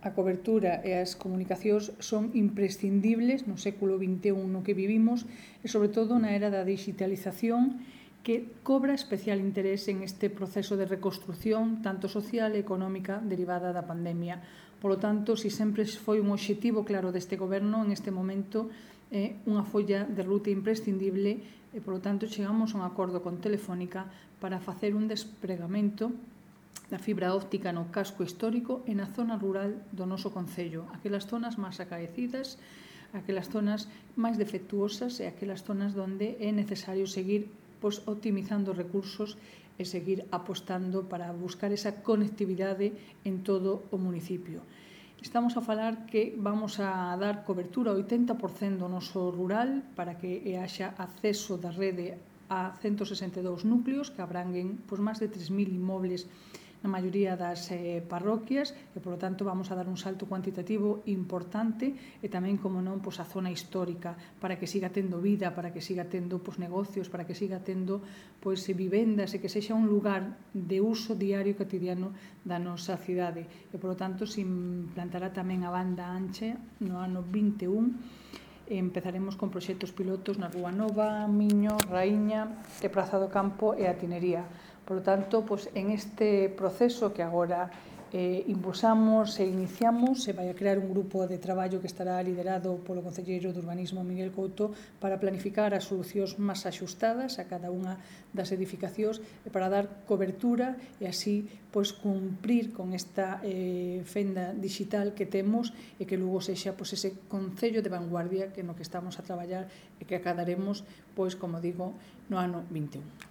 A cobertura e as comunicacións son imprescindibles no século XXI no que vivimos e, sobre todo, na era da digitalización que cobra especial interés en este proceso de reconstrucción tanto social e económica derivada da pandemia. Por lo tanto, si sempre foi un obxectivo claro deste goberno, en este momento é unha folla de ruta imprescindible e, por lo tanto, chegamos a un acordo con Telefónica para facer un despregamento da fibra óptica no casco histórico e na zona rural do noso concello, aquelas zonas máis acaecidas, aquelas zonas máis defectuosas e aquelas zonas onde é necesario seguir optimizando recursos e seguir apostando para buscar esa conectividade en todo o municipio. Estamos a falar que vamos a dar cobertura ao 80% do noso rural para que haxa acceso da rede a 162 núcleos que abranguen máis de 3.000 inmobles na maioría das parroquias e, polo tanto, vamos a dar un salto cuantitativo importante e tamén, como non, a zona histórica para que siga tendo vida, para que siga tendo negocios, para que siga tendo vivendas e que sexa un lugar de uso diario e cotidiano da nosa cidade. E, polo tanto, se implantará tamén a banda ancha no ano 21. Empezaremos con proxectos pilotos na Rúa Nova, Miño, Raíña e Praza do Campo e a Tinería. Por lo tanto, en este proceso que agora impulsamos e iniciamos, se vai a crear un grupo de traballo que estará liderado polo concelleiro de Urbanismo Miguel Couto para planificar as solucións máis axustadas a cada unha das edificacións e para dar cobertura e así cumprir con esta fenda digital que temos e que logo sexa ese concello de vanguardia que no que estamos a traballar e que acadaremos, como digo, no ano 21.